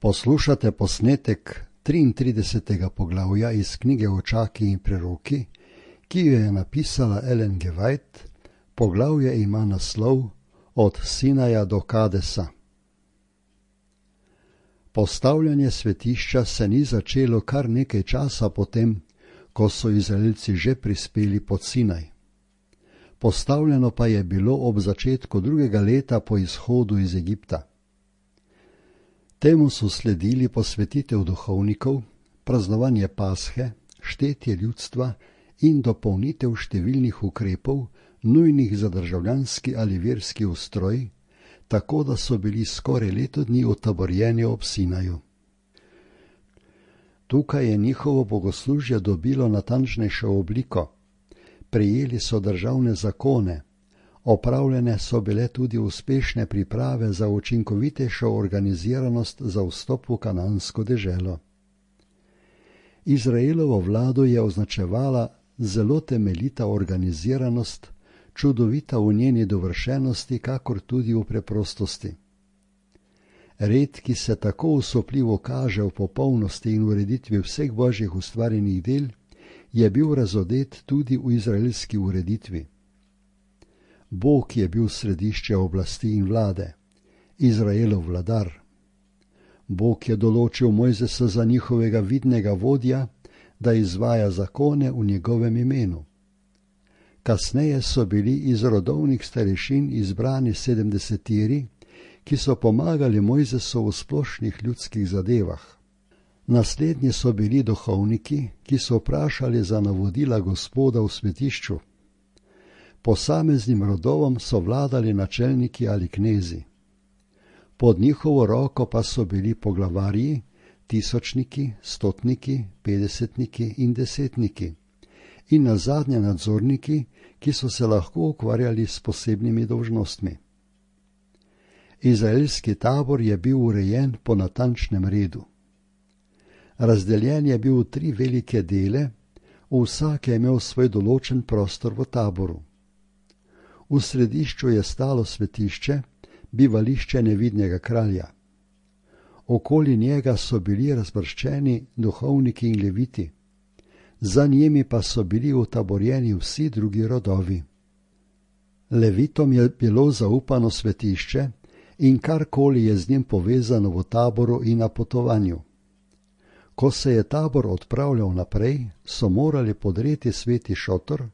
Poslušate posnetek 33. poglavja iz knjige Očaki in preroki, ki jo je napisala Ellen G. White. Poglavje ima naslov Od Sinaja do Kadesa. Postavljanje svetišča se ni začelo kar nekaj časa potem, ko so Izraelci že prispeli pod Sinaj. Postavljeno pa je bilo ob začetku 2. leta po izhodu iz Egipta. Temu so sledili posvetitev duhovnikov, praznovanje Pashe, štetje ljudstva in dopolnitev številnih ukrepov, nujnih za državljanski ali verski ustroj, tako da so bili skoraj leto dni utaborjeni ob Sinaju. Tukaj je njihovo bogoslužje dobilo natančnejšo obliko. Prejeli so državne zakone, opravljene so bile tudi uspešne priprave za učinkovitejšo organiziranost za vstop v kanansko deželo. Izraelovo vlado je označevala zelo temeljita organiziranost, čudovita v njeni dovršenosti, kakor tudi v preprostosti. Red, ki se tako usopljivo kaže v popolnosti in ureditvi vseh božjih ustvarjenih del, je bil razodet tudi v izraelski ureditvi. Bog je bil središče oblasti in vlade, Izraelov vladar. Bog je določil Mojzesa za njihovega vidnega vodja, da izvaja zakone v njegovem imenu. Kasneje so bili iz rodovnih starešin izbrani 70, ki so pomagali Mojzesu v splošnih ljudskih zadevah. Naslednji so bili duhovniki, ki so vprašali za navodila Gospoda v svetišču. Posameznim rodovom so vladali načelniki ali knezi. Pod njihovo roko pa so bili poglavarji, tisočniki, stotniki, 50-niki in 10-niki. In nazadnje nadzorniki, ki so se lahko ukvarjali s posebnimi dolžnostmi. Izraelski tabor je bil urejen po natančnem redu. Razdeljen je bil v 3 velike dele, vsak je imel svoj določen prostor v taboru. V središču je stalo svetišče, bivališče nevidnega kralja. Okoli njega so bili razvrščeni duhovniki in leviti. Za njimi pa so bili utaborjeni vsi drugi rodovi. Levitom je bilo zaupano svetišče in karkoli je z njim povezano v taboru in na potovanju. Ko se je tabor odpravljal naprej, so morali podreti sveti šotor,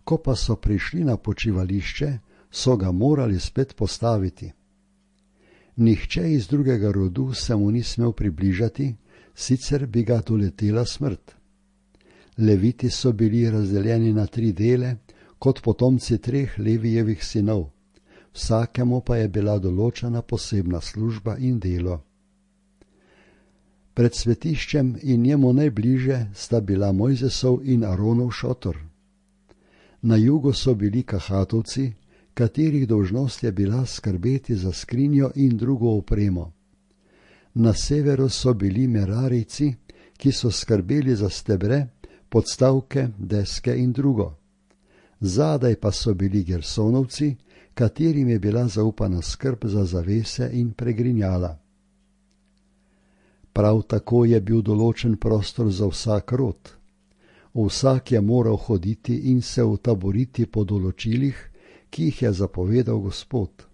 ko pa so prišli na počivališče, so ga morali spet postaviti. Nihče iz drugega rodu se mu ni smel približati, sicer bi ga doletela smrt. Leviti so bili razdeljeni na 3 dele, kot potomci 3 Levijevih sinov, vsakemu pa je bila določena posebna služba in delo. Pred svetiščem in njemu najbliže sta bila Mojzesov in Aronov šotor. Na jugu so bili Kahatovci, katerih dolžnost je bila skrbeti za skrinjo in drugo opremo. Na severu so bili Merarijci, ki so skrbeli za stebre, podstavke, deske in drugo. Zadaj pa so bili Gersonovci, katerim je bila zaupana skrb za zavese in pregrinjala. Prav tako je bil določen prostor za vsak rod. Vsak je moral hoditi in se utaboriti po določilih, ki jih je zapovedal Gospod.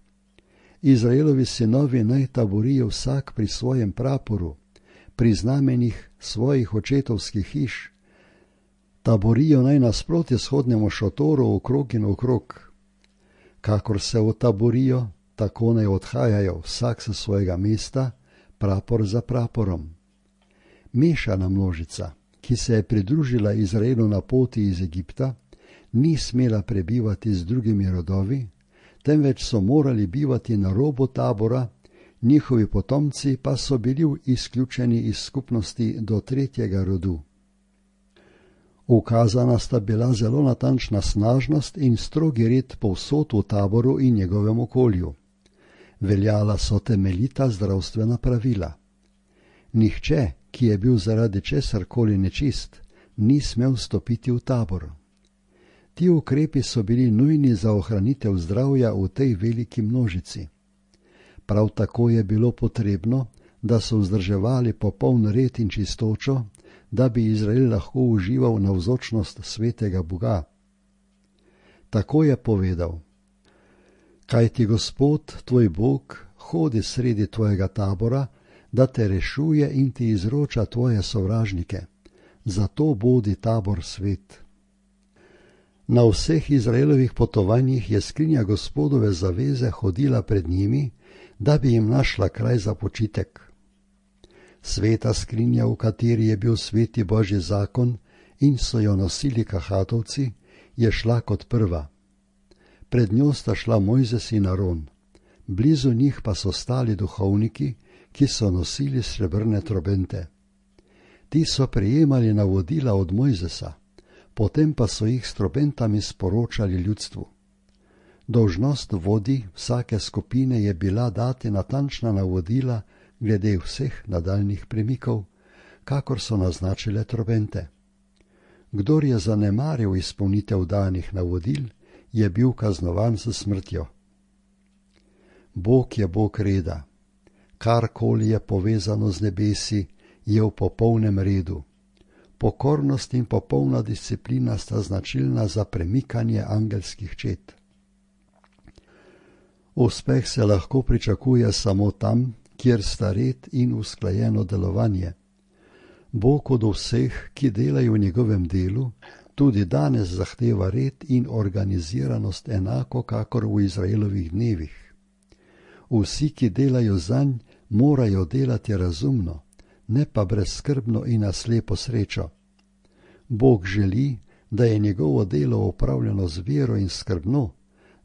Izraelovi sinovi naj taborijo vsak pri svojem praporu, pri znamenjih svojih očetovskih hiš. Taborijo naj nasproti shodnemu šotoru okrog in okrog. Kakor se utaborijo, tako naj odhajajo vsak sa svojega mesta, prapor za praporom. Mešana množica, ki se je pridružila Izraelu na poti iz Egipta, ni smela prebivati z drugimi rodovi, temveč so morali bivati na robu tabora, njihovi potomci pa so bili izključeni iz skupnosti do 3. rodu. Ukazana sta bila zelo natančna snažnost in strogi red povsod v taboru in njegovem okolju. Veljala so temeljita zdravstvena pravila. Nihče, ki je bil zaradi česarkoli nečist, ni smel stopiti v tabor. Ti ukrepi so bili nujni za ohranitev zdravja v tej veliki množici. Prav tako je bilo potrebno, da so vzdrževali popoln red in čistočo, da bi Izrael lahko užival navzočnost svetega Boga. Tako je povedal: Kajti Gospod, tvoj Bog, hodi sredi tvojega tabora, da te rešuje in ti izroča tvoje sovražnike. Zato bodi tabor svet. Na vseh Izraelovih potovanjih je skrinja Gospodove zaveze hodila pred njimi, da bi jim našla kraj za počitek. Sveta skrinja, v kateri je bil sveti Božji zakon in so jo nosili kahatovci, je šla kot prva. Pred njo sta šla Mojzes in Aron, blizu njih pa so stali duhovniki, ki so nosili srebrne trobente. Ti so prejemali navodila od Mojzesa, potem pa so jih s trobentami sporočali ljudstvu. Dolžnost vodij vsake skupine je bila dati natančna navodila glede vseh nadaljnjih premikov, kakor so naznačile trobente. Kdor je zanemaril izpolnitev danih navodil, je bil kaznovan s smrtjo. Bog je Bog reda. Karkoli je povezano z nebesi, je v popolnem redu. Pokornost in popolna disciplina sta značilna za premikanje angelskih čet. Uspeh se lahko pričakuje samo tam, kjer sta red in usklajeno delovanje. Bog od vseh, ki delajo v njegovem delu, tudi danes zahteva red in organiziranost enako kakor v Izraelovih dnevih. Vsi, ki delajo zanj, morajo delati razumno, ne pa brezskrbno in na slepo srečo. Bog želi, da je njegovo delo opravljeno z vero in skrbno,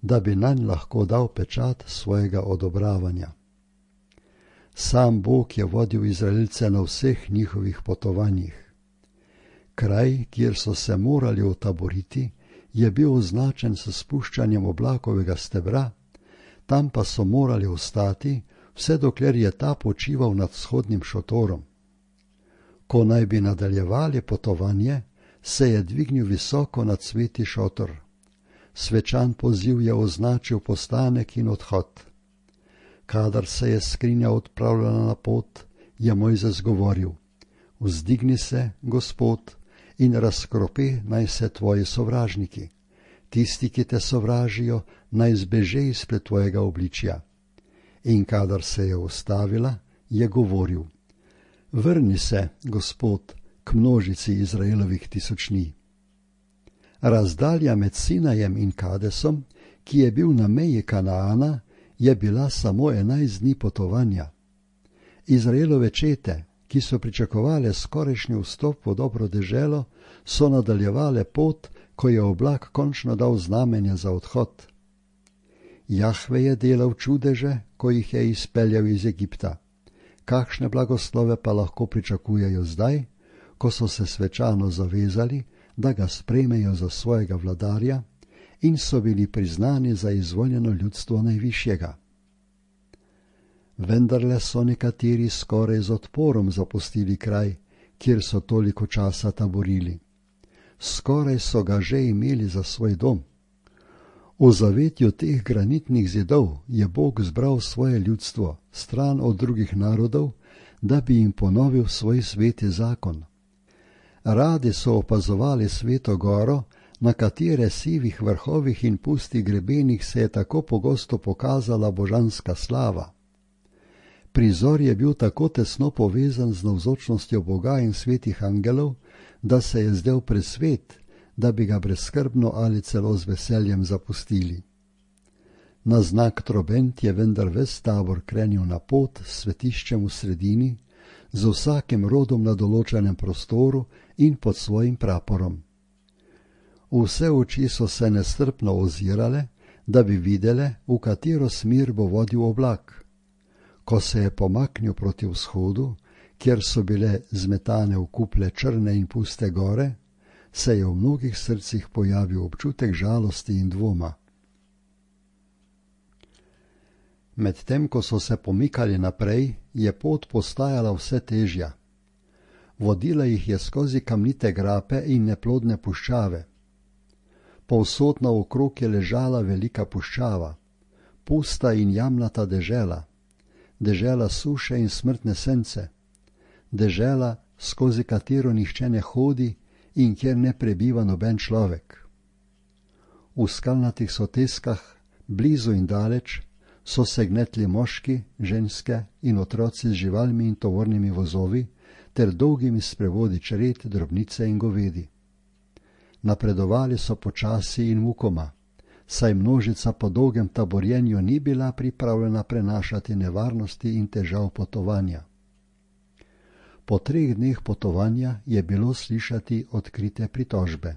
da bi nanj lahko dal pečat svojega odobravanja. Sam Bog je vodil Izraelce na vseh njihovih potovanjih. Kraj, kjer so se morali utaboriti, je bil označen s spuščanjem oblakovega stebra, tam pa so morali ostati, vse dokler je ta počival nad vzhodnim šotorom. Ko naj bi nadaljevali potovanje, se je dvignil visoko nad sveti šotor. Svečan poziv je označil postanek in odhod. Kadar se je skrinja odpravljala na pot, je Mojzes govoril: Vzdigni se, Gospod, in razkropi naj se tvoji sovražniki. Tisti, ki te sovražijo, naj zbeže izpred tvojega obličja. In kadar se je ustavila, je govoril: Vrni se, Gospod, k množici Izraelovih tisočnij. Razdalja med Sinajem in Kadesom, ki je bil na meji Kanaana, je bila samo 11 dni potovanja. Izraelove čete, ki so pričakovale skorajšnji vstop v dobro deželo, so nadaljevale pot, ko je oblak končno dal znamenja za odhod. Jahve je delal čudeže, ko jih je izpeljal iz Egipta. Kakšne blagoslove pa lahko pričakujejo zdaj, ko so se svečano zavezali, da ga sprejmejo za svojega vladarja in so bili priznani za izvoljeno ljudstvo najvišjega. Vendarle so nekateri skoraj z odporom zapustili kraj, kjer so toliko časa taborili. Skoraj so ga že imeli za svoj dom. V zavetju teh granitnih zidov je Bog zbral svoje ljudstvo, stran od drugih narodov, da bi jim ponovil svoj sveti zakon. Radi so opazovali sveto goro, na katere sivih vrhovih in pustih grebenih se je tako pogosto pokazala božanska slava. Prizor je bil tako tesno povezan z navzočnostjo Boga in svetih angelov, da se je zdel presvet, da bi ga brezskrbno ali celo z veseljem zapustili. Na znak trobent je vendar ves tabor krenil na pot s svetiščem v sredini, z vsakim rodom na določenem prostoru in pod svojim praporom. Vse oči so se nestrpno ozirale, da bi videle, v katero smer bo vodil oblak. Ko se je pomaknil proti vzhodu, kjer so bile zmetane v kuple črne in puste gore, se je v mnogih srcih pojavil občutek žalosti in dvoma. Medtem ko so se pomikali naprej, je pot postajala vse težja. Vodila jih je skozi kamnite grape in neplodne puščave. Povsod naokrog je ležala velika puščava, pusta in jamnata dežela. dežela suše in smrtne sence, dežela, skozi katero nihče ne hodi in kjer ne prebiva noben človek. V skalnatih soteskah, blizu in daleč, so se gnetli moški, ženske in otroci z živalmi in tovornimi vozovi ter dolgimi sprevodi čred, drobnice in govedi. Napredovali so počasi in mukoma, saj množica po dolgem taborjenju ni bila pripravljena prenašati nevarnosti in težav potovanja. Po 3 dneh potovanja je bilo slišati odkrite pritožbe.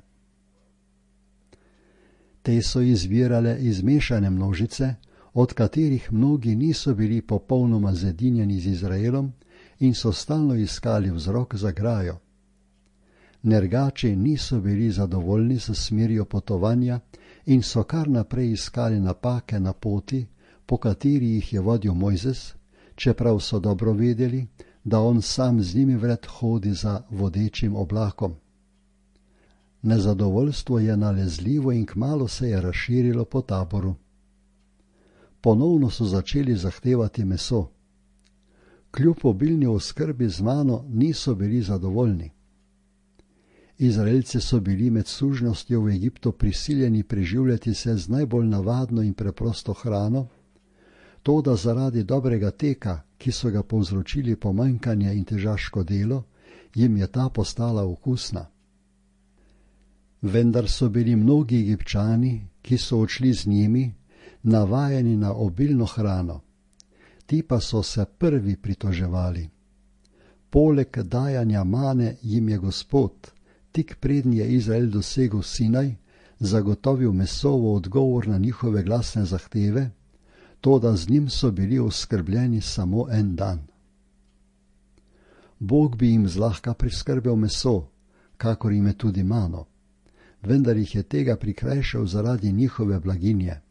Te so izvirale iz mešane množice, od katerih mnogi niso bili popolnoma zedinjeni z Izraelom in so stalno iskali vzrok za grajo. Nergači niso bili zadovoljni s smerjo potovanja in so kar naprej iskali napake na poti, po kateri jih je vodil Mojzes, čeprav so dobro vedeli, da on sam z njimi vred hodi za vodečim oblakom. Nezadovoljstvo je nalezljivo in kmalu se je razširilo po taboru. Ponovno so začeli zahtevati meso. Kljub obilni oskrbi z mano niso bili zadovoljni. Izraelci so bili med sužnostjo v Egiptu prisiljeni preživljati se z najbolj navadno in preprosto hrano, toda zaradi dobrega teka, ki so ga povzročili pomanjkanje in težaško delo, jim je ta postala okusna. Vendar so bili mnogi Egipčani, ki so odšli z njimi, navajeni na obilno hrano. Ti pa so se prvi pritoževali. Poleg dajanja mane jim je Gospod, tik preden je Izrael dosegel Sinaj, zagotovil meso v odgovor na njihove glasne zahteve, toda z njim so bili oskrbljeni samo en dan. Bog bi jim zlahka priskrbel meso, kakor jim je tudi mano, vendar jih je tega prikrajšal zaradi njihove blaginje.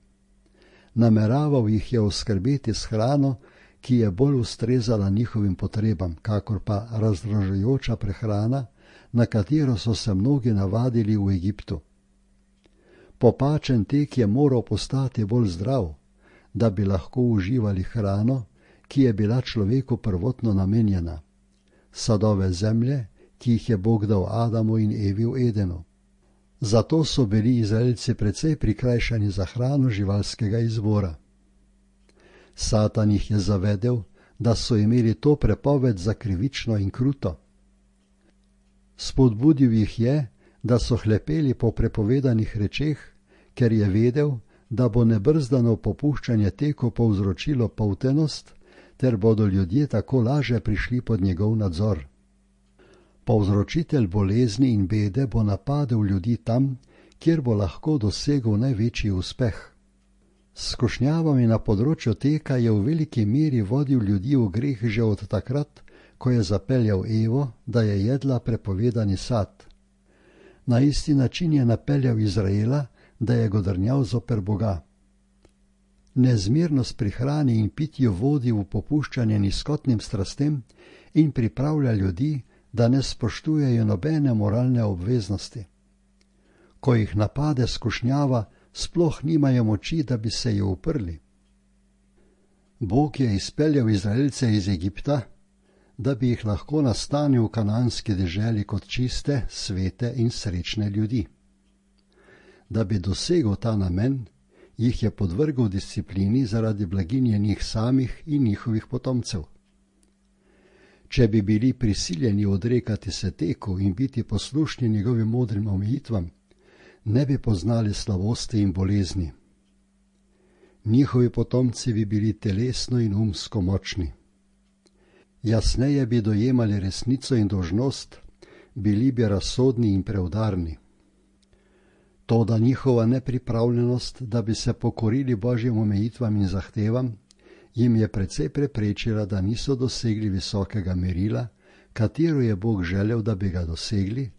Nameraval jih je oskrbeti s hrano, ki je bolj ustrezala njihovim potrebam, kakor pa razdražujoča prehrana, na katero so se mnogi navadili v Egiptu. Popačen tek je moral postati bolj zdrav, da bi lahko uživali hrano, ki je bila človeku prvotno namenjena, sadove zemlje, ki jih je Bog dal Adamu in Evi v Edenu. Zato so bili Izraelci precej prikrajšani za hrano živalskega izvora. Satan jih je zavedel, da so imeli to prepoved za krivično in kruto. Spodbudil jih je, da so hlepeli po prepovedanih rečeh, ker je vedel, da bo nebrzdano popuščanje teku povzročilo poltenost, ter bodo ljudje tako laže prišli pod njegov nadzor. Povzročitelj bolezni in bede bo napadel ljudi tam, kjer bo lahko dosegel največji uspeh. S skušnjavami na področju teka je v veliki meri vodil ljudi v greh že od takrat, ko je zapeljal Evo, da je jedla prepovedani sad. Na isti način je napeljal Izraela, da je godrnjal zoper Boga. Nezmirnost pri hrani in pitju vodi v popuščanje nizkotnim strastem in pripravlja ljudi, da ne spoštujejo nobene moralne obveznosti. Ko jih napade skušnjava, sploh nimajo moči, da bi se jo uprli. Bog je izpeljal Izraelce iz Egipta, da bi jih lahko nastanil v kananski deželi kot čiste, svete in srečne ljudi. Da bi dosegel ta namen, jih je podvrgel disciplini zaradi blaginje njih samih in njihovih potomcev. Če bi bili prisiljeni odrekati se teku in biti poslušni njegovim modrim omejitvam, ne bi poznali slabosti in bolezni. Njihovi potomci bi bili telesno in umsko močni. Jasneje bi dojemali resnico in dolžnost, bili bi razsodni in preudarni. Toda njihova nepripravljenost, da bi se pokorili Božjim omejitvam in zahtevam, jim je precej preprečila, da niso dosegli visokega merila, katero je Bog želel, da bi ga dosegli,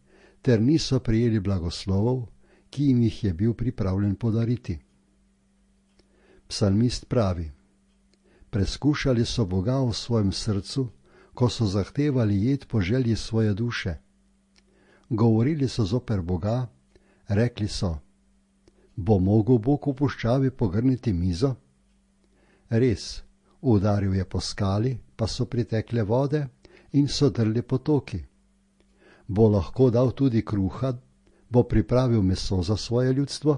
ter niso prijeli blagoslovov, ki jim jih je bil pripravljen podariti. Psalmist pravi: preskušali so Boga v svojem srcu, ko so zahtevali jed po želji svoje duše. Govorili so zoper Boga, rekli so: bo mogel Bog v puščavi pogrniti mizo? Res, Udaril je po skali, pa so pritekle vode in so drli potoki. Bo lahko dal tudi kruha, bo pripravil meso za svoje ljudstvo?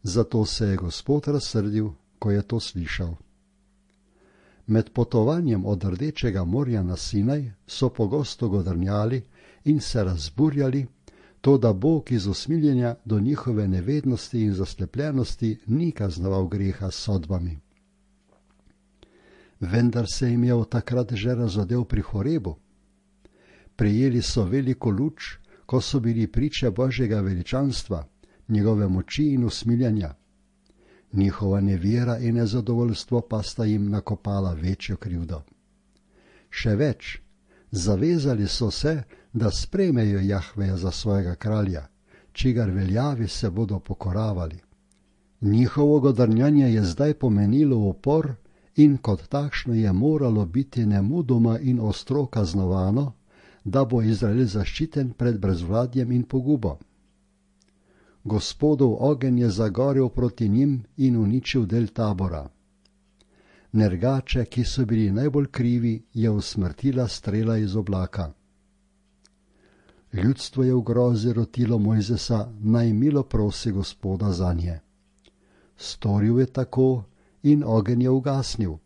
Zato se je Gospod razsrdil, ko je to slišal. Med potovanjem od Rdečega morja na Sinaj so pogosto godrnjali in se razburjali, toda Bog iz usmiljenja do njihove nevednosti in zaslepljenosti ni kaznoval greha s sodbami. Vendar se jim je od takrat že razodel pri Horebu. Prejeli so veliko luč, ko so bili priče Božjega veličanstva, njegove moči in usmiljenja. Njihova nevera in nezadovoljstvo pa sta jim nakopala večjo krivdo. Še več, zavezali so se, da sprejmejo Jahveja za svojega kralja, čigar veljavi se bodo pokoravali. Njihovo godrnjanje je zdaj pomenilo upor in kot takšno je moralo biti nemudoma in ostro kaznovano, da bo Izrael zaščiten pred brezvladjem in pogubo. Gospodov ogenj je zagorel proti njim in uničil del tabora. Nergače, ki so bili najbolj krivi, je usmrtila strela iz oblaka. Ljudstvo je v grozi rotilo Mojzesa, naj milo prosi Gospoda zanje. Storil je tako in ogenj je ugasnil.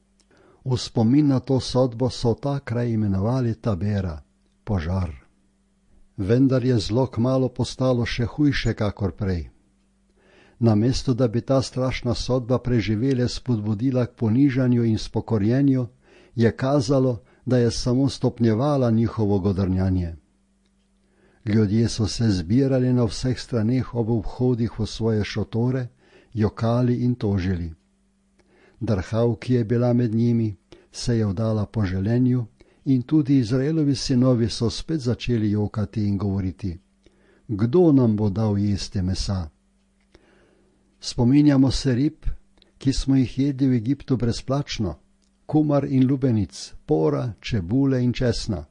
V spomin na to sodbo so ta kraj imenovali Tabera, požar. Vendar je zlo kmalu postalo še hujše kakor prej. Namesto da bi ta strašna sodba preživele spodbudila k ponižanju in spokorjenju, je kazalo, da je samo stopnjevala njihovo godrnjanje. Ljudje so se zbirali na vseh straneh ob vhodih v svoje šotore, jokali in tožili. Drhav, ki je bila med njimi, se je vdala po želenju in tudi Izraelovi sinovi so spet začeli jokati in govoriti: Kdo nam bo dal jesti mesa? Spominjamo se rib, ki smo jih jedli v Egiptu brezplačno, kumar in lubenic, pora, čebule in česna.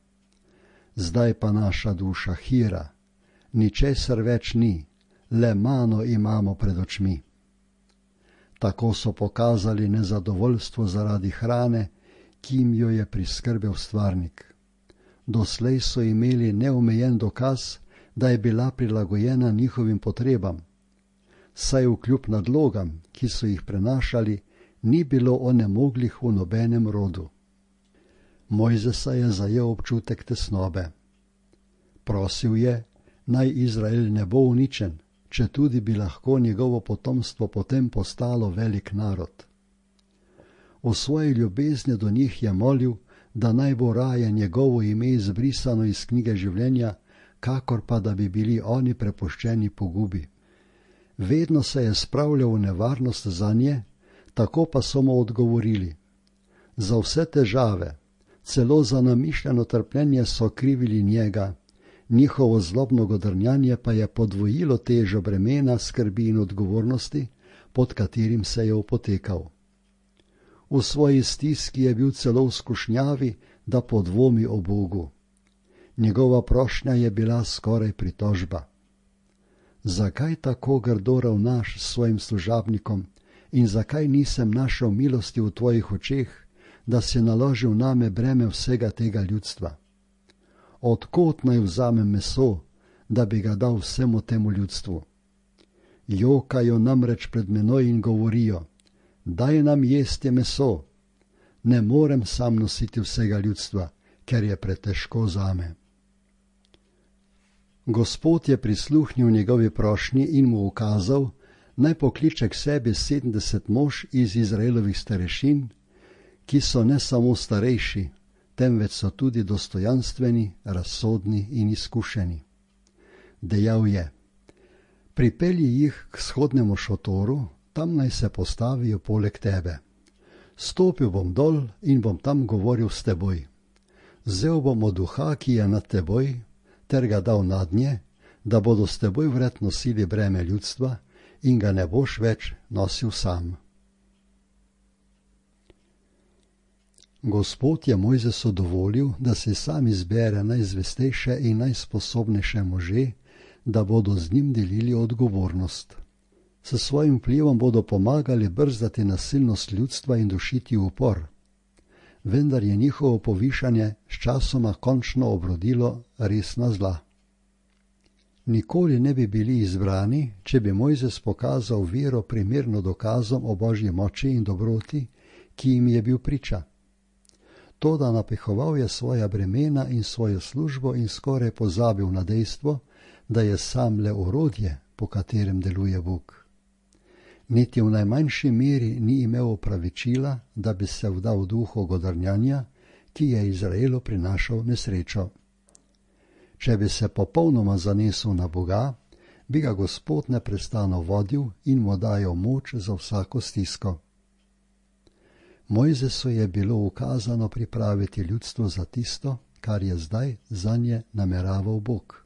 Zdaj pa naša duša hira, ničesar več ni, le mano imamo pred očmi. Tako so pokazali nezadovoljstvo zaradi hrane, ki jim jo je priskrbel stvarnik. Doslej so imeli neomejen dokaz, da je bila prilagojena njihovim potrebam, saj vkljub nadlogam, ki so jih prenašali, ni bilo onemoglih v nobenem rodu. Mojzesa je zajel občutek tesnobe. Prosil je, naj Izrael ne bo uničen, četudi bi lahko njegovo potomstvo potem postalo velik narod. V svoji ljubezni do njih je molil, da naj bo raje njegovo ime izbrisano iz knjige življenja, kakor pa da bi bili oni prepuščeni pogubi. Vedno se je spravljal v nevarnost zanje, tako pa so mu odgovorili. Za vse težave, celo za namišljeno trpljenje so krivili njega, njihovo zlobno godrnjanje pa je podvojilo težo bremena, skrbi in odgovornosti, pod katerim se je opotekal. V svoji stiski je bil celo v skušnjavi, da podvomi o Bogu. Njegova prošnja je bila skoraj pritožba. Zakaj tako grdo ravnaš s svojim služabnikom in zakaj nisem našel milosti v tvojih očeh, da si naložil name breme vsega tega ljudstva? Od kod naj vzamem meso, da bi ga dal vsemu temu ljudstvu? Jokajo namreč pred menoj in govorijo: Daj nam jesti meso. Ne morem sam nositi vsega ljudstva, ker je pretežko zame. Gospod je prisluhnil njegovi prošnji in mu ukazal, naj pokliče k sebi 70 mož iz Izraelovih starešin, ki so ne samo starejši, temveč so tudi dostojanstveni, razsodni in izkušeni. Dejal je: Pripelji jih k shodnemu šotoru, tam naj se postavijo poleg tebe. Stopil bom dol in bom tam govoril s teboj. Vzel bom od duha, ki je nad teboj, ter ga dal nadnje, da bodo s teboj vred nosili breme ljudstva in ga ne boš več nosil sam. Gospod je Mojzesu dovolil, da si sam izbere najzvestejše in najsposobnejše može, da bodo z njim delili odgovornost. S svojim vplivom bodo pomagali brzdati nasilnost ljudstva in dušiti upor. Vendar je njihovo povišanje sčasoma končno obrodilo resna zla. Nikoli ne bi bili izbrani, če bi Mojzes pokazal vero primerno dokazom o Božji moči in dobroti, ki jim je bil priča. Toda napihoval je svoja bremena in svojo službo in skoraj pozabil na dejstvo, da je sam le orodje, po katerem deluje Bog. Niti v najmanjši meri ni imel opravičila, da bi se vdal duhu godrnjanja, ki je Izraelu prinašal nesrečo. Če bi se popolnoma zanesel na Boga, bi ga Gospod neprestano vodil in mu dajal moč za vsako stisko. Mojzesu je bilo ukazano pripraviti ljudstvo za tisto, kar je zdaj zanje nameraval Bog.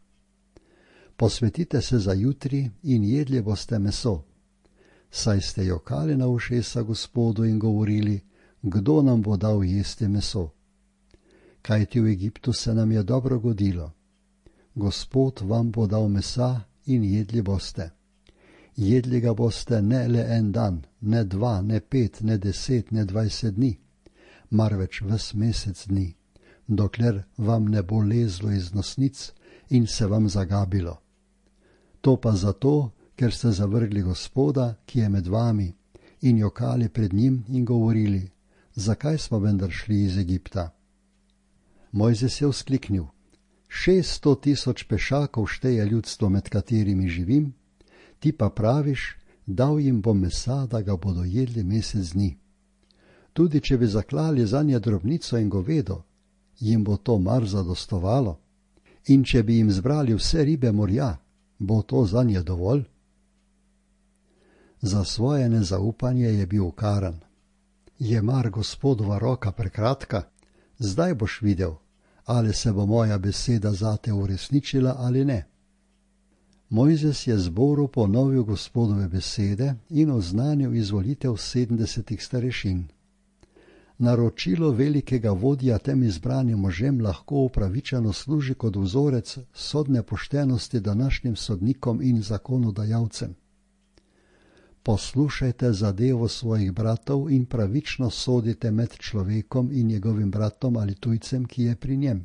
Posvetite se za jutri in jedli boste meso, saj ste jokali na ušesa Gospodu in govorili, kdo nam bo dal jesti meso. Kajti v Egiptu se nam je dobro godilo. Gospod vam bo dal mesa in jedli boste. Jedli ga boste ne le en dan, ne 2, ne 5, ne 10, ne 20 dni, marveč ves mesec dni, dokler vam ne bo lezlo iz nosnic in se vam zagabilo. To pa zato, ker ste zavrgli Gospoda, ki je med vami, in jokali pred njim in govorili, zakaj smo vendar šli iz Egipta? Mojzes je vzkliknil, 600 000 pešakov šteje ljudstvo, med katerimi živim, ti pa praviš, dal jim bom mesa, da ga bodo jedli mesec dni. Tudi če bi zaklali zanje drobnico in govedo, jim bo to mar zadostovalo? In če bi jim zbrali vse ribe morja, bo to zanje dovolj? Za svoje nezaupanje je bil ukaran. Je mar Gospodova roka prekratka? Zdaj boš videl, ali se bo moja beseda zate uresničila ali ne. Mojzes je zboru ponovil Gospodove besede in oznanil izvolitev 70 starešin. Naročilo velikega vodja tem izbranim možem lahko upravičeno služi kot vzorec sodne poštenosti današnjim sodnikom in zakonodajalcem. Poslušajte zadevo svojih bratov in pravično sodite med človekom in njegovim bratom ali tujcem, ki je pri njem.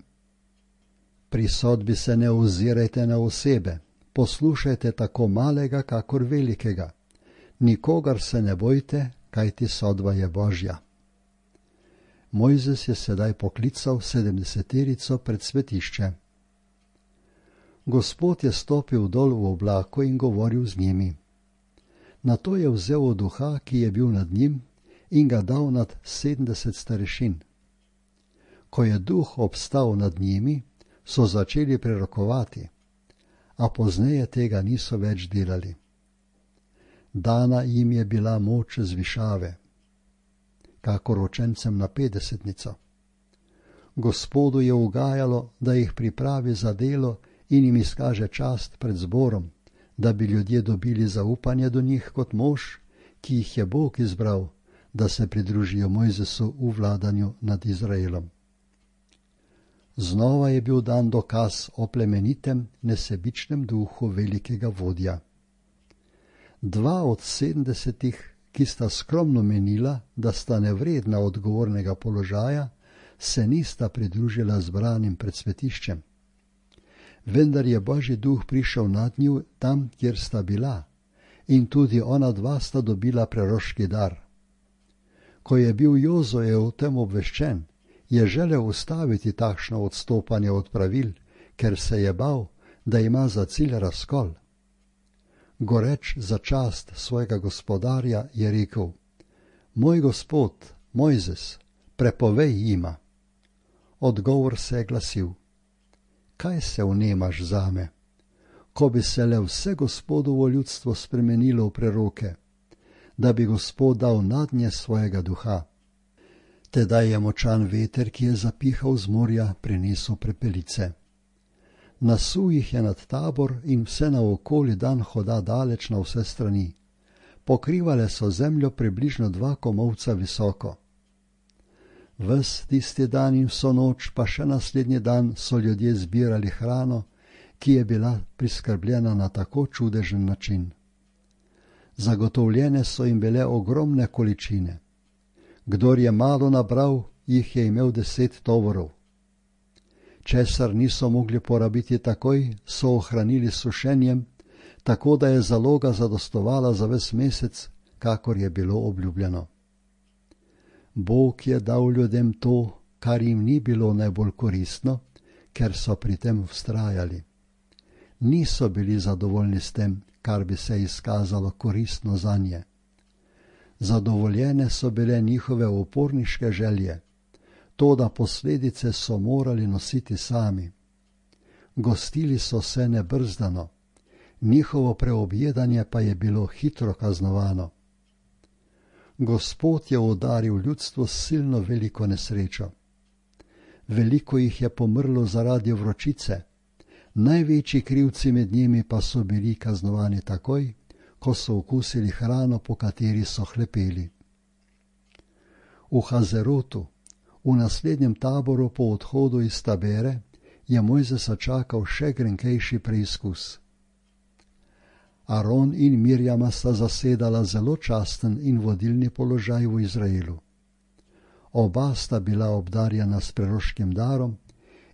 Pri sodbi se ne ozirajte na osebe, poslušajte tako malega, kakor velikega. Nikogar se ne bojte, kajti sodba je Božja. Mojzes je sedaj poklical 70 pred svetišče. Gospod je stopil dol v oblaku in govoril z njimi. Nato je vzel od duha, ki je bil nad njim, in ga dal nad 70 starešin. Ko je duh obstal nad njimi, so začeli prerokovati, a pozneje tega niso več delali. Dana jim je bila moč zvišave, kakor učencem na 50-nico. Gospodu je ugajalo, da jih pripravi za delo in jim izkaže čast pred zborom, da bi ljudje dobili zaupanje do njih kot mož, ki jih je Bog izbral, da se pridružijo Mojzesu v vladanju nad Izraelom. Znova je bil dan dokaz o plemenitem, nesebičnem duhu velikega vodja. 2 od 70, ki sta skromno menila, da sta nevredna odgovornega položaja, se nista pridružila zbranim pred svetiščem. Vendar je Božji duh prišel nad nju tam, kjer sta bila, in tudi ona 2 sta dobila preroški dar. Ko je bil Jozoje o tem obveščen, je želel ustaviti takšno odstopanje od pravil, ker se je bal, da ima za cilj razkol. Goreč za čast svojega gospodarja je rekel, moj gospod, Mojzes, prepovej jima. Odgovor se je glasil, kaj se vnemaš zame? Ko bi se le vse Gospodovo ljudstvo spremenilo v preroke, da bi Gospod dal nadnje svojega duha. Tedaj je močan veter, ki je zapihal z morja, prinesel prepelice. Nasul jih je nad Tabor in vse naokoli dan hoda daleč na vse strani. Pokrivale so zemljo približno 2 komolca visoko. Ves tisti dan in vso noč, pa še naslednji dan so ljudje zbirali hrano, ki je bila priskrbljena na tako čudežen način. Zagotovljene so jim bile ogromne količine. Kdor je malo nabral, jih je imel 10 tovorov. Česar niso mogli porabiti takoj, so ohranili sušenjem, tako da je zaloga zadostovala za ves mesec, kakor je bilo obljubljeno. Bog je dal ljudem to, kar jim ni bilo najbolj koristno, ker so pri tem vztrajali. Niso bili zadovoljni s tem, kar bi se izkazalo koristno zanje. Zadovoljene so bile njihove uporniške želje, toda posledice so morali nositi sami. Gostili so se nebrzdano, njihovo preobjedanje pa je bilo hitro kaznovano. Gospod je udaril ljudstvo s silno veliko nesrečo. Veliko jih je pomrlo zaradi vročice, največji krivci med njimi pa so bili kaznovani takoj, ko so okusili hrano, po kateri so hlepeli. V Hazerotu, v naslednjem taboru po odhodu iz Tabere, je Mojzesa čakal še grenkejši preizkus. Aron in Mirjama sta zasedala zelo časten in vodilni položaj v Izraelu. Oba sta bila obdarjena s preroškim darom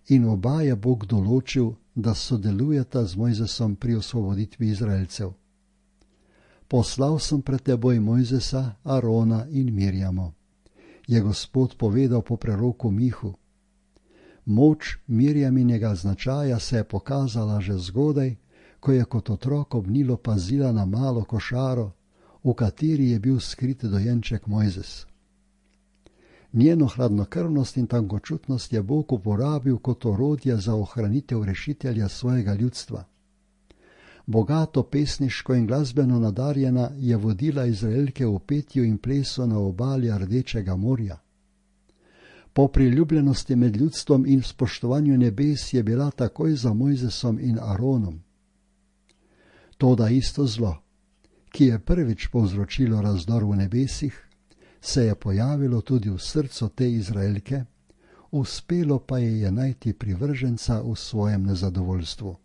in oba je Bog določil, da sodelujeta z Mojzesom pri osvoboditvi Izraelcev. Poslal sem pred teboj Mojzesa, Arona in Mirjamo, je Gospod povedal po preroku Mihu. Moč Mirjaminega značaja se je pokazala že zgodaj, ko je kot otrok ob Nilu pazila na malo košaro, v kateri je bil skrit dojenček Mojzes. Njeno hladnokrvnost in tankočutnost je Bog uporabil kot orodje za ohranitev rešitelja svojega ljudstva. Bogato pesniško in glasbeno nadarjena je vodila Izraelke v petju in plesu na obali Rdečega morja. Po priljubljenosti med ljudstvom in spoštovanju nebes je bila takoj za Mojzesom in Aronom. Toda isto zlo, ki je prvič povzročilo razdor v nebesih, se je pojavilo tudi v srcu te Izraelke, uspelo pa je najti privrženca v svojem nezadovoljstvu.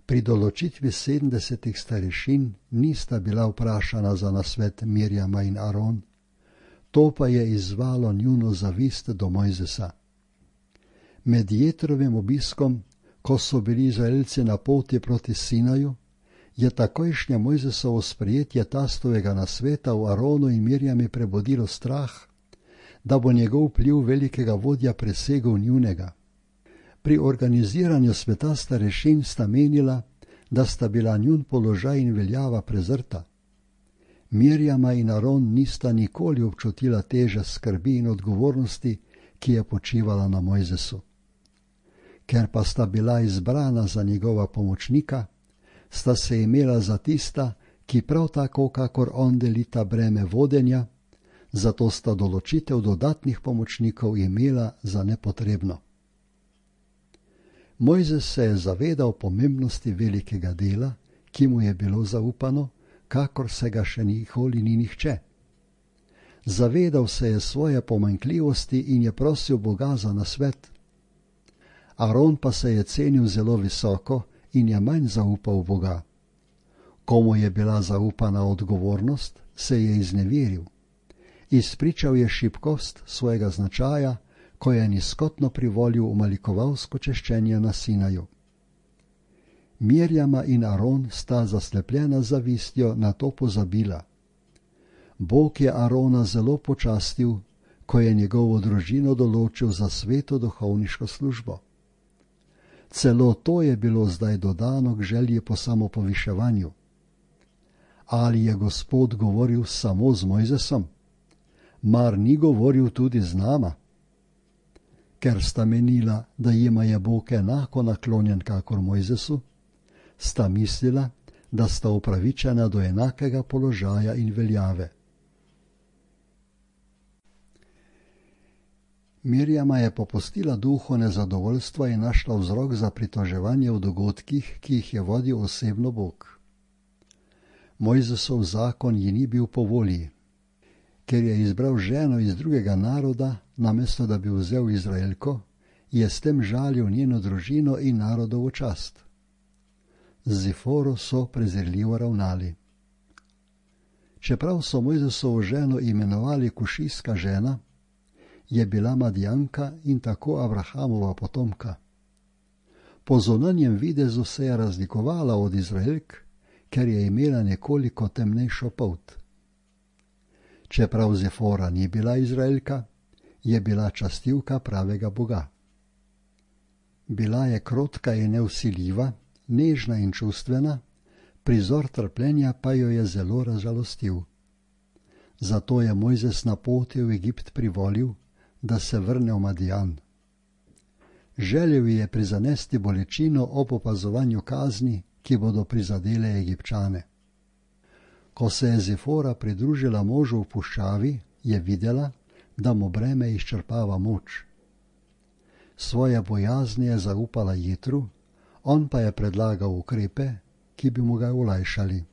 Pri določitvi 70 starešin nista bila vprašana za nasvet Mirjama in Aron, to pa je izzvalo njuno zavist do Mojzesa. Med Jetrovim obiskom, ko so bili Izraelci na poti proti Sinaju, je takojšnje Mojzesovo sprejetje tastovega nasveta v Aronu in Mirjami prebudilo strah, da bo njegov vpliv velikega vodja presegel njunega. Pri organiziranju sveta starešin sta menila, da sta bila njun položaj in veljava prezrta. Mirjama in Aron nista nikoli občutila teže skrbi in odgovornosti, ki je počivala na Mojzesu. Ker pa sta bila izbrana za njegova pomočnika, sta se imela za tista, ki prav tako kakor on delita breme vodenja, zato sta določitev dodatnih pomočnikov imela za nepotrebno. Mojzes se je zavedal pomembnosti velikega dela, ki mu je bilo zaupano, kakor se ga še nikoli ni nihče. Zavedal se je svoje pomanjkljivosti in je prosil Boga za nasvet. Aron pa se je cenil zelo visoko in je manj zaupal Boga. Komu je bila zaupana odgovornost, se je izneveril. Izpričal je šibkost svojega značaja, ko je nizkotno privolil v malikovalsko češčenje na Sinaju. Mirjama in Aron sta zaslepljena zavistjo na to pozabila. Bog je Arona zelo počastil, ko je njegovo družino določil za sveto duhovniško službo. Celo to je bilo zdaj dodano k želji po samopoviševanju. Ali je Gospod govoril samo z Mojzesom? Mar ni govoril tudi z nama? Ker sta menila, da jima je Bog enako naklonjen kakor Mojzesu, sta mislila, da sta upravičena do enakega položaja in veljave. Mirjama je popustila duhu nezadovoljstva in našla vzrok za pritoževanje v dogodkih, ki jih je vodil osebno Bog. Mojzesov zakon ji ni bil po volji. Ker je izbral ženo iz drugega naroda, namesto da bi vzel Izraelko, je s tem žalil njeno družino in narodovo čast. Z Ziforo so prezirljivo ravnali. Čeprav so Mojzesovo ženo imenovali kušijska žena, je bila Madijanka in tako Abrahamova potomka. Po zunanjem videzu se je razlikovala od Izraelk, ker je imela nekoliko temnejšo polt. Čeprav Zifora ni bila Izraelka, je bila častivka pravega Boga. Bila je krotka in nevsiljiva, nežna in čustvena, prizor trpljenja pa jo je zelo razžalostil. Zato je Mojzes na poti v Egipt privolil, da se vrne v Madijan. Želel je prizanesti bolečino ob opazovanju kazni, ki bodo prizadele Egipčane. Ko se je Zifora pridružila možu v puščavi, je videla, da mu breme izčrpava moč. Svoje bojazni je zaupala Jetru, on pa je predlagal ukrepe, ki bi mu ga olajšali.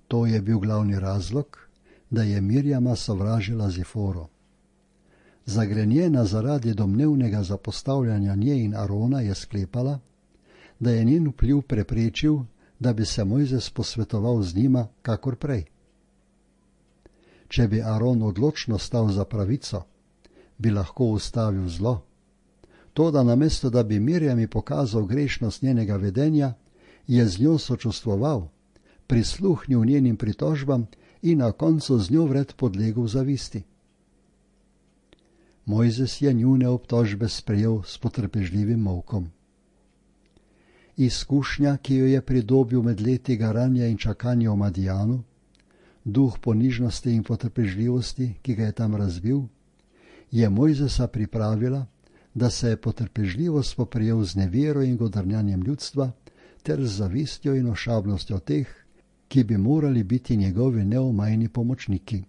To je bil glavni razlog, da je Mirjama sovražila Ziforo. Zagrenjena zaradi domnevnega zapostavljanja nje in Arona je sklepala, da je njen vpliv preprečil, da bi se Mojzes posvetoval z njima kakor prej. Če bi Aron odločno stal za pravico, bi lahko ustavil zlo. Toda namesto, da bi Mirjami pokazal grešnost njenega vedenja, je z njo sočustvoval, prisluhnil njenim pritožbam in na koncu z njo vred podlegel zavisti. Mojzes je njune obtožbe sprejel s potrpežljivim molkom. Izkušnja, ki jo je pridobil med leti garanja in čakanja v Madijanu, duh ponižnosti in potrpežljivosti, ki ga je tam razvil, je Mojzesa pripravila, da se je potrpežljivo spoprijel z nevero in godrnjanjem ljudstva ter z zavistjo in ošabnostjo teh, ki bi morali biti njegovi neomajni pomočniki.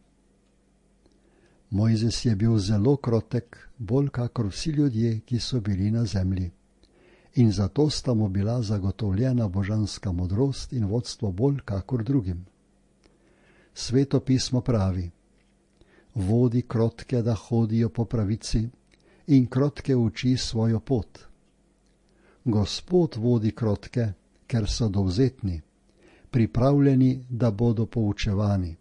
Mojzes je bil zelo krotek, bolj kakor vsi ljudje, ki so bili na zemlji. In zato sta mu bila zagotovljena božanska modrost in vodstvo bolj kakor drugim. Sveto pismo pravi: vodi krotke, da hodijo po pravici, in krotke uči svojo pot. Gospod vodi krotke, ker so dovzetni, pripravljeni, da bodo poučevani.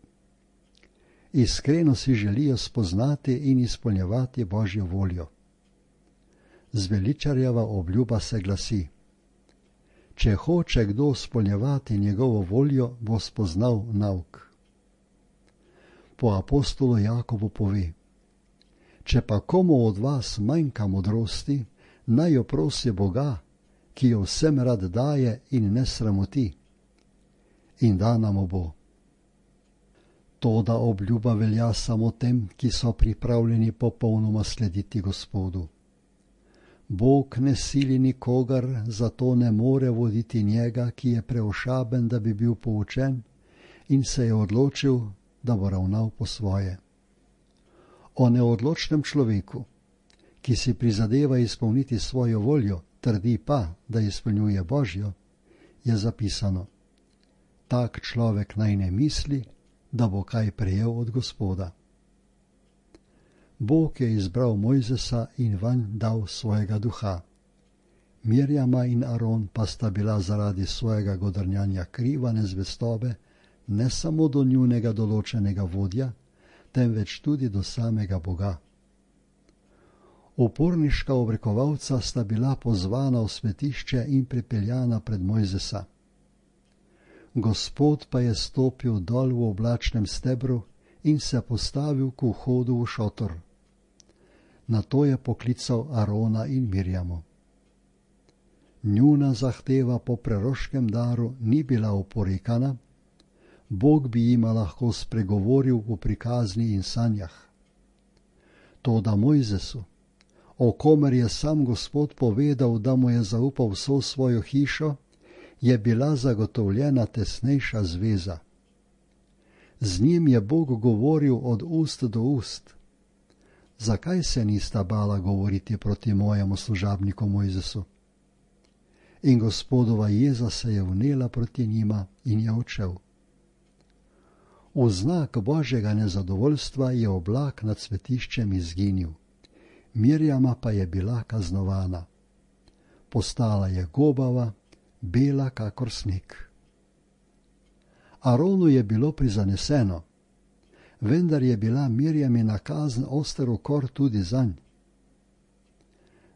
Iskreno si želijo spoznati in izpolnjevati Božjo voljo. Zveličarjeva obljuba se glasi: če hoče kdo izpolnjevati njegovo voljo, bo spoznal nauk. Po apostolu Jakobu pove: če pa komu od vas manjka modrosti, naj jo prosi Boga, ki jo vsem rad daje in ne sramoti, in dana mu bo. Toda obljuba velja samo tem, ki so pripravljeni popolnoma slediti Gospodu. Bog ne sili nikogar, zato ne more voditi njega, ki je preošaben, da bi bil poučen, in se je odločil, da bo ravnal po svoje. O neodločnem človeku, ki si prizadeva izpolniti svojo voljo, trdi pa, da izpolnjuje Božjo, je zapisano: tak človek naj ne misli, da bo kaj prejel od Gospoda. Bog je izbral Mojzesa in vanj dal svojega duha. Mirjama in Aron pa sta bila zaradi svojega godrnjanja kriva nezvestobe ne samo do njunega določenega vodja, temveč tudi do samega Boga. Uporniška obrekovalca sta bila pozvana v svetišče in pripeljana pred Mojzesa. Gospod pa je stopil dol v oblačnem stebru in se postavil k vhodu v šotor. Nato je poklical Arona in Mirjamo. Njuna zahteva po preroškem daru ni bila oporekana, Bog bi jima lahko spregovoril v prikazni in sanjah. Toda Mojzesu, o komer je sam Gospod povedal, da mu je zaupal vso svojo hišo, je bila zagotovljena tesnejša zveza. Z njim je Bog govoril od ust do ust. Zakaj se nista bala govoriti proti mojemu služabniku Mojzesu? In Gospodova jeza se je vnela proti njima in je odšel. V znak Božjega nezadovoljstva je oblak nad svetiščem izginil. Mirjama pa je bila kaznovana. Postala je gobava, bela kakor sneg. Aronu je bilo prizaneseno, vendar je bila Mirjamina kazen oster ukor tudi zanj.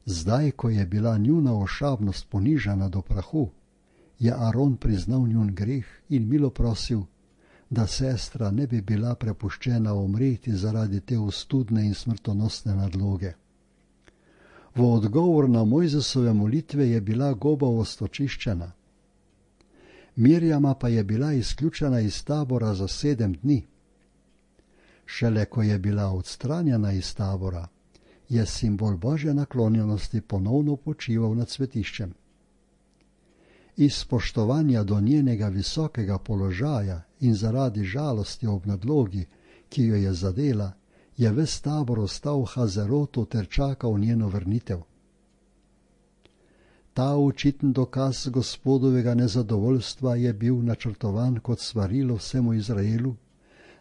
Zdaj, ko je bila njuna ošabnost ponižana do prahu, je Aron priznal njun greh in milo prosil, da sestra ne bi bila prepuščena umreti zaradi te ostudne in smrtonosne nadloge. V odgovor na Mojzesove molitve je bila gobavost očiščena. Mirjama pa je bila izključena iz tabora za 7 dni. Šele ko je bila odstranjena iz tabora, je simbol Božje naklonjenosti ponovno počival nad svetiščem. Iz spoštovanja do njenega visokega položaja in zaradi žalosti ob nadlogi, ki jo je zadela, je ves tabor ostal v Hazerotu ter čakal njeno vrnitev. Ta očiten dokaz Gospodovega nezadovoljstva je bil načrtovan kot svarilo vsemu Izraelu,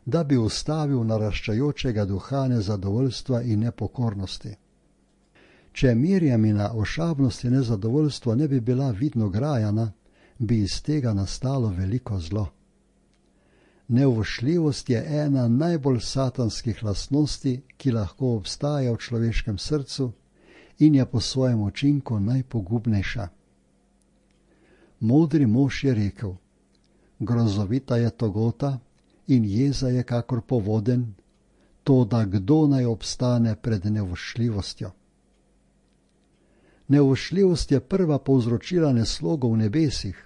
da bi ustavil naraščajočega duha nezadovoljstva in nepokornosti. Če Mirjamina ošabnost in nezadovoljstvo ne bi bila vidno grajana, bi iz tega nastalo veliko zlo. Neuvošljivost je ena najbolj satanskih lastnosti, ki lahko obstaja v človeškem srcu in je po svojem učinku najpogubnejša. Modri mož je rekel: grozovita je togota in jeza je kakor povoden, toda kdo naj obstane pred neuvošljivostjo? Neuvošljivost je prva povzročila neslogo v nebesih,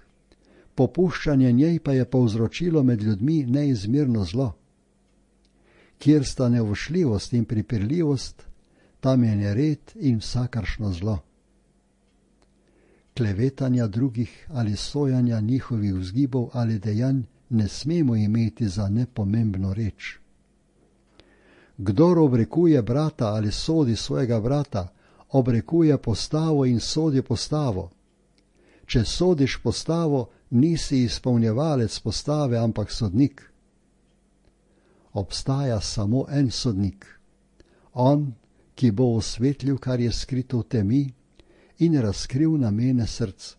popuščanje njej pa je povzročilo med ljudmi neizmerno zlo. Kjer sta neuvošljivost in pripirljivost, tam je nered in vsakršno zlo. Klevetanja drugih ali sojanja njihovih vzgibov ali dejanj ne smemo imeti za nepomembno reč. Kdor obrekuje brata ali sodi svojega brata, obrekuje postavo in sodi postavo. Če sodiš postavo, nisi izpolnjevalec postave, ampak sodnik. Obstaja samo en sodnik, on, ki bo osvetlil, kar je skrito v temi, in razkril namene src.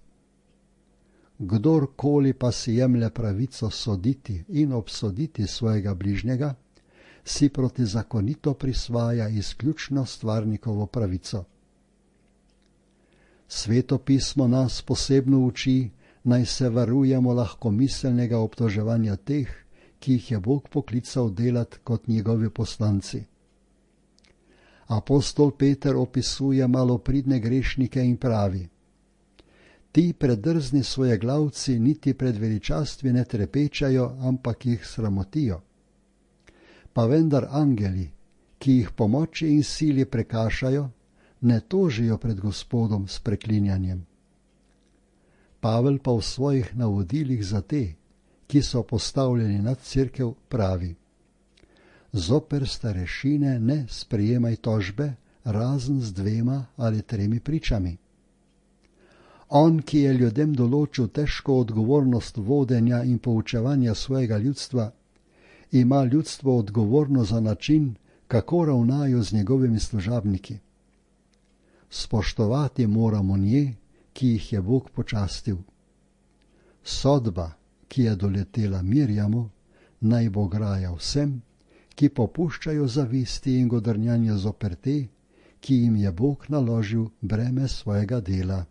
Kdorkoli pa si jemlje pravico soditi in obsoditi svojega bližnjega, si protizakonito prisvaja izključno stvarnikovo pravico. Sveto pismo nas posebno uči, naj se varujemo lahkomiselnega obtoževanja teh, ki jih je Bog poklical delati kot njegovi poslanci. Apostol Peter opisuje malopridne grešnike in pravi: ti predrzni svoje glavci niti pred veličastvi ne trepečajo, ampak jih sramotijo. Pa vendar angeli, ki jih po moči in sili prekašajo, ne tožijo pred Gospodom s preklinjanjem. Pavel pa v svojih navodilih za te, ki so postavljeni nad cerkev, pravi: zoper starešine ne sprejemaj tožbe, razen z 2 ali 3 pričami. On, ki je ljudem določil težko odgovornost vodenja in poučevanja svojega ljudstva, ima ljudstvo odgovorno za način, kako ravnajo z njegovimi služabniki. Spoštovati moramo nje, ki jih je Bog počastil. Sodba, ki je doletela Mirjamu, naj bo graja vsem, ki popuščajo zavisti in godrnjanja zoper te, ki jim je Bog naložil breme svojega dela.